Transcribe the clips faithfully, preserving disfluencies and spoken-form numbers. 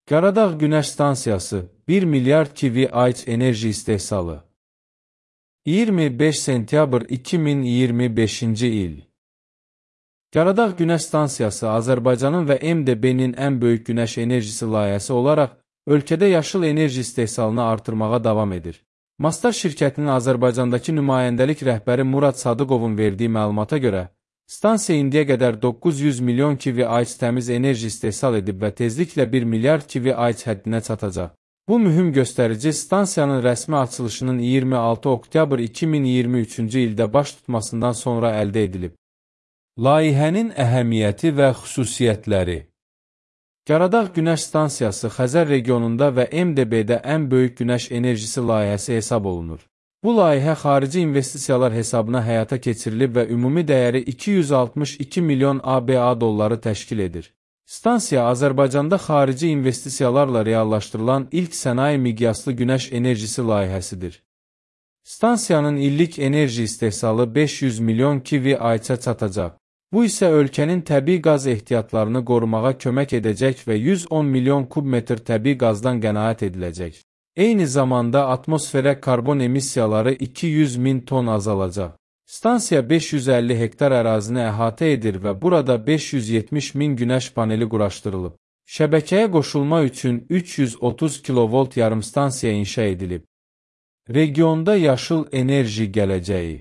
Qaradağ Günəş Stansiyası bir milyard kilowatt enerji istehsalı. iyirmi beş sentyabr iki min iyirmi beşinci il. Qaradağ Günəş Stansiyası Azərbaycanın və M D B-nin ən böyük günəş enerjisi layihəsi olaraq ölkədə yaşıl enerji istehsalını artırmağa davam edir. Mastar şirkətinin Azərbaycandakı nümayəndəlik rəhbəri Murad Sadıqovun verdiyi məlumata görə, stansiya indiyə qədər doqquz yüz milyon kilowatt təmiz enerji istehsal edib və tezliklə bir milyard kilowatt həddinə çatacaq. Bu mühüm göstərici stansiyanın rəsmi açılışının iyirmi altı oktyabr iki min iyirmi üçüncü ildə baş tutmasından sonra əldə edilib. Layihənin əhəmiyyəti və xüsusiyyətləri. Qaradağ Günəş Stansiyası Xəzər regionunda və M D B-də ən böyük günəş enerjisi layihəsi hesab olunur. Bu layihə xarici investisiyalar hesabına həyata keçirilib və ümumi dəyəri iki yüz altmış iki milyon A B A dolları təşkil edir. Stansiya Azərbaycanda xarici investisiyalarla reallaşdırılan ilk sənaye miqyaslı günəş enerjisi layihəsidir. Stansiyanın illik enerji istehsalı beş yüz milyon kilowatt-a çatacaq. Bu isə ölkənin təbii qaz ehtiyatlarını qorumağa kömək edəcək və yüz on milyon kubmetr təbii qazdan qənaət ediləcək. Eyni zamanda atmosferə karbon emissiyaları iki yüz min ton azalacaq. Stansiya beş yüz əlli hektar ərazini əhatə edir və burada beş yüz yetmiş min günəş paneli quraşdırılıb. Şəbəkəyə qoşulma üçün üç yüz otuz kilovolt yarımstansiya inşa edilib. Regionda yaşıl enerji gələcəyi.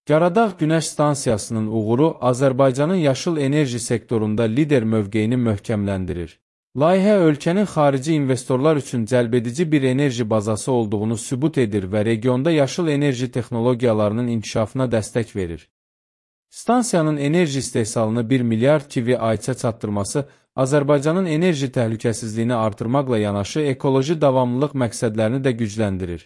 Qaradağ Günəş Stansiyasının uğuru Azərbaycanın yaşıl enerji sektorunda lider mövqeyini möhkəmləndirir. Layihə ölkənin xarici investorlar üçün cəlbedici bir enerji bazası olduğunu sübut edir və regionda yaşıl enerji texnologiyalarının inkişafına dəstək verir. Stansiyanın enerji istehsalını bir milyard kilowatt-a çatdırması Azərbaycanın enerji təhlükəsizliyini artırmaqla yanaşı ekoloji davamlılıq məqsədlərini də gücləndirir.